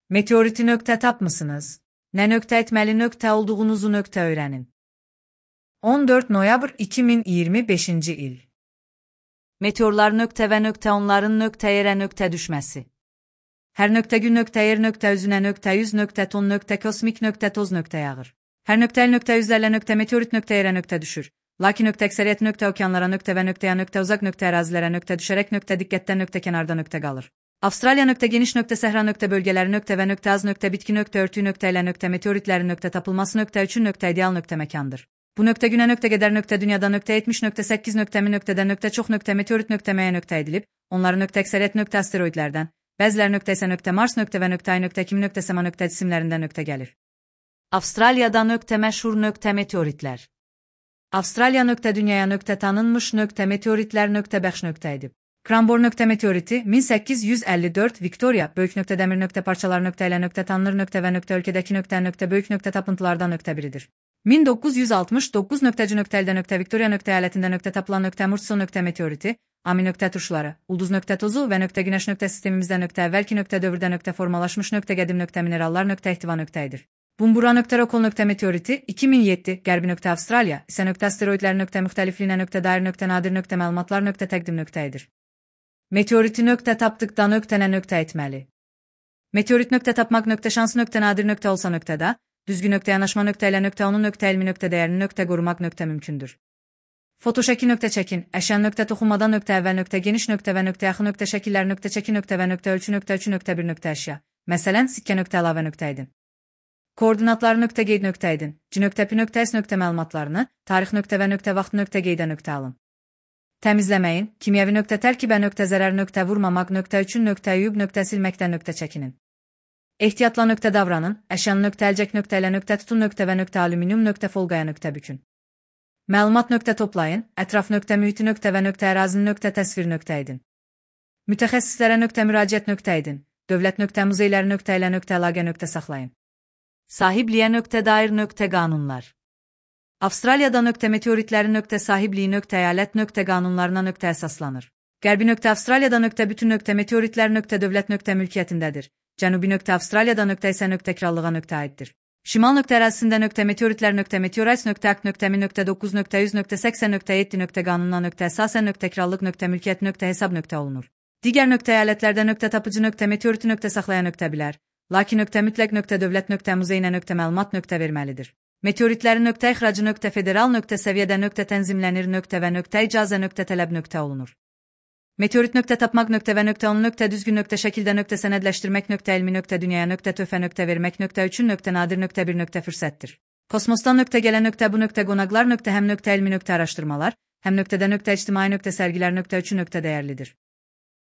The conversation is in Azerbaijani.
Meteoriti nöqtə tapmısınız? Nə nöqtə etməli nöqtə olduğunuzu nöqtə öyrənin. 14 noyabr 2025 il. Meteorlar nöqtə və nöqtə onların nöqtə yerə nöqtə düşməsi. Hər nöqtə gün nöqtə yer nöqtə üzünə nöqtə yüz nöqtə ton nöqtə kosmik nöqtə toz nöqtə yağır. Hər nöqtə el nöqtə yüzlərlə nöqtə meteorit nöqtə yerə nöqtə düşür. Lakin nöqtə əksəriyyət nöqtə okeanlara nöqtə və nöqtəyə nöqtə uzaq nöqtə ərazilərə nöqtə düşərək nöqtə diqqətdən nöqtə kənarda nöqtə qalır. Avstraliya nöqtə geniş nöqtə səhra nöqtə bölgələri nöqtə və nöqtə az nöqtə bitki nöqtə örtüyü nöqtə ilə nöqtə meteoritlərin nöqtə tapılması nöqtə üçün nöqtə ideal nöqtə məkandır. Bu nöqtə günə nöqtə qədər nöqtə dünyada nöqtə 70.8 nöqtə mi nöqtədə nöqtə çox nöqtə meteorit nöqtə məyə nöqtə edilib, onların nöqtə əksəriyyət nöqtə asteroidlərdən, bəziləri nöqtə isə nöqtə Mars nöqtə və nöqtə Ay nöqtə kimi nöqtə Səma nöqtə cisimlərindən nöqtə gəlir. Avstraliyada nöqtə məşhur nöqtə meteoritlər. Avstraliya nöqtə dünyaya nöqtə tanınmış nöqtə meteoritlər nöqtə bəxş nöqtə edib. Kranbor nöqtə meteoriti 1854 Viktoriya böyük nöqtə dəmir nöqtə parçalar nöqtə ilə nöqtə tanınır nöqtə və nöqtə ölkədəki nöqtə böyük nöqtə tapıntılardan nöqtə biridir. 1969 nöqtəci nöqtə əldə nöqtə Viktoriya nöqtə əyalətində nöqtə tapılan nöqtə Murchison nöqtə meteoriti, Ami nöqtə turşuları, ulduz nöqtə tozu və nöqtə günəş nöqtə sistemimizdə nöqtə əvvəlki nöqtə dövrdə nöqtə formalaşmış nöqtə qədim nöqtə minerallar nöqtə ehtiva nöqtəyidir. Bumbura nöqtə Rokol nöqtə meteoriti 2007 Qərbi nöqtə Avstraliya isə nöqtə asteroidlər nöqtə müxtəlifliyinə nöqtə dair nöqtə nadir nöqtə məlumatlar nöqtə təqdim nöqtəyidir. Meteoriti nöqtə tapdıqda nöqtə nə nöqtə etməli? Meteorit nöqtə tapmaq nöqtə şansı nöqtə nadir nöqtə olsa nöqtədə, düzgün nöqtə yanaşma nöqtə ilə nöqtə onun nöqtə elmi nöqtə dəyərini nöqtə qorumaq nöqtə mümkündür. Fotoşəkil nöqtə çəkin, əşyan nöqtə toxunmadan nöqtə əvvəl nöqtə geniş nöqtə və nöqtə yaxın nöqtə şəkillər nöqtə çəki nöqtə və nöqtə ölçü nöqtə 3 nöqtə 1 nöqtə əşya. Məsələn, sikkə nöqtə əlavə nöqtə edin. Koordinatları nöqtə qeyd nöqtə edin. C nöqtə P nöqtə S nöqtə məlumatlarını, tarix nöqtə və nöqtə vaxt nöqtə qeydə nöqtə alın. Təmizləməyin, kimyəvi nöqtə tərkibə nöqtə zərər nöqtə vurmamaq nöqtə üçün nöqtə yuyub nöqtə silməkdən nöqtə çəkinin. Ehtiyatla nöqtə davranın, əşyanı nöqtə əlcək nöqtə ilə nöqtə tutun nöqtə və nöqtə alüminium nöqtə folqaya nöqtə bükün. Məlumat nöqtə toplayın, ətraf nöqtə mühiti nöqtə və nöqtə ərazini nöqtə təsvir nöqtə edin. Mütəxəssislərə nöqtə müraciət nöqtə edin, dövlət nöqtə muzeyləri nöqtə ilə nöqtə əlaqə nöqtə saxlayın. Sahibliyə nöqtə dair nöqtə qanunlar. Avstraliyada nöqtə meteoritlərin nöqtə sahibliyi nöqtə əyalət nöqtə qanunlarına nöqtə əsaslanır. Qərbi nöqtə Avstraliyada nöqtə bütün nöqtə meteoritlər nöqtə dövlət nöqtə mülkiyyətindədir. Cənubi nöqtə Avstraliyada nöqtə isə nöqtə krallığa nöqtə aiddir. Şimal nöqtə ərazisində nöqtə meteoritlər nöqtə meteorais nöqtə akt nöqtə mi nöqtə 9 nöqtə 100 nöqtə 80 nöqtə 7 nöqtə qanununa nöqtə əsasən nöqtə krallıq nöqtə mülkiyyət nöqtə hesab nöqtə olunur. Digər nöqtə əyalətlərdə nöqtə tapıcı nöqtə meteoriti nöqtə saxlaya nöqtə bilər. Lakin nöqtə mütləq nöqtə dövlət nöqtə muzeyinə nöqtə məlumat nöqtə verməlidir. Meteoritlərin nöqtə ixracı nöqtə federal nöqtə səviyyədə nöqtə tənzimlənir nöqtə və nöqtə icazə nöqtə tələb nöqtə olunur. Meteorit nöqtə tapmaq nöqtə və nöqtə onu nöqtə düzgün nöqtə şəkildə nöqtə sənədləşdirmək nöqtə elmi nöqtə dünyaya nöqtə töhfə nöqtə vermək nöqtə üçün nöqtə nadir nöqtə bir nöqtə fürsətdir. Kosmosdan nöqtə gələn nöqtə bu nöqtə qonaqlar nöqtə həm nöqtə elmi nöqtə araşdırmalar, həm nöqtədə nöqtə ictimai nöqtə sərgilər nöqtə üçün nöqtə dəyərlidir.